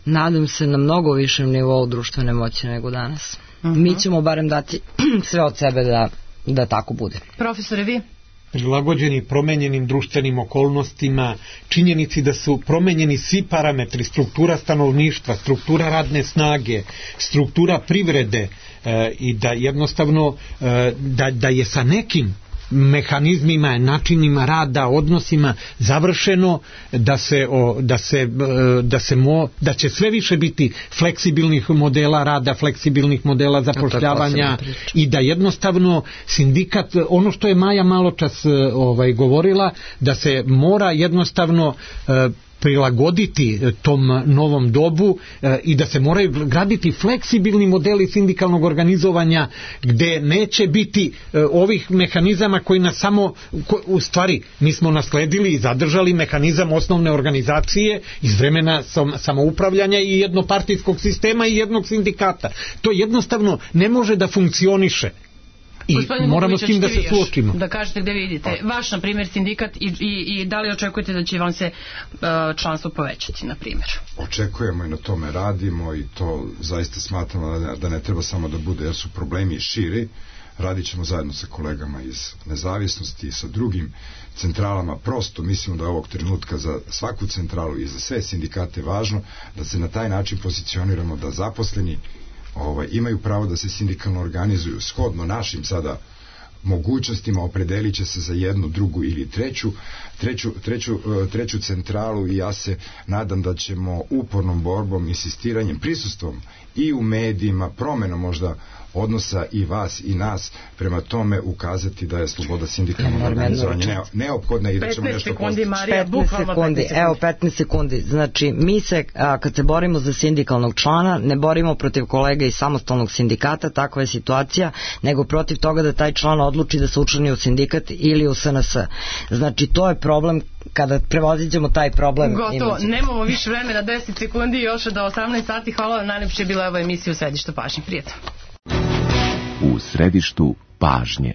Nadam se na mnogo višem nivou društvene moći nego danas. Mi ćemo barem dati sve od sebe da tako bude.
Profesore, vi?
Prilagođeni promenjenim društvenim okolnostima, činjenici da su promenjeni svi parametri, struktura stanovništva, struktura radne snage, struktura privrede, i da jednostavno da je sa nekim mehanizmima, načinima rada, odnosima završeno, da će sve više biti fleksibilnih modela rada, fleksibilnih modela zapošljavanja i da jednostavno sindikat, ono što je Maja maločas govorila, da se mora jednostavno prilagoditi tom novom dobu i da se moraju graditi fleksibilni modeli sindikalnog organizovanja gde neće biti ovih mehanizama koji nas samo, u stvari mi smo nasledili i zadržali mehanizam osnovne organizacije iz vremena samoupravljanja i jednopartijskog sistema i jednog sindikata. To jednostavno ne može da funkcioniše. I
Gospodine
moramo s tim da se suočimo.
Da kažete gde vidite vaš, na primjer, sindikat i da li očekujete da će vam se članstvo povećati, na primjer?
Očekujemo i na tome radimo i to zaista smatramo da ne treba samo da bude, jer su problemi širi. Radit ćemo zajedno sa kolegama iz nezavisnosti i sa drugim centralama. Prosto mislimo da je ovog trenutka za svaku centralu i za sve sindikate važno da se na taj način pozicioniramo, da zaposleni imaju pravo da se sindikalno organizuju shodno našim sada mogućnostima, opredelit će se za jednu, drugu ili treću centralu i ja se nadam da ćemo upornom borbom, insistiranjem, prisustvom i u medijima, promenom možda odnosa i vas i nas prema tome ukazati da je sloboda sindikalnog organizovanja neophodna i da ćemo nešto postići.
15 sekundi. Evo 15 sekundi. Znači mi se kad se borimo za sindikalnog člana ne borimo protiv kolega iz samostalnog sindikata, takva je situacija, nego protiv toga da taj član odluči da se učlani u sindikat ili u SNS. Znači to je problem. Kada prevoziđemo taj problem.
Gotovo, nemamo više vremena, 10 sekundi još do 18 sati. Hvala vam, najlepše je bila ova emisija u središtu pažnje. Prijatno.
U središtu pažnje.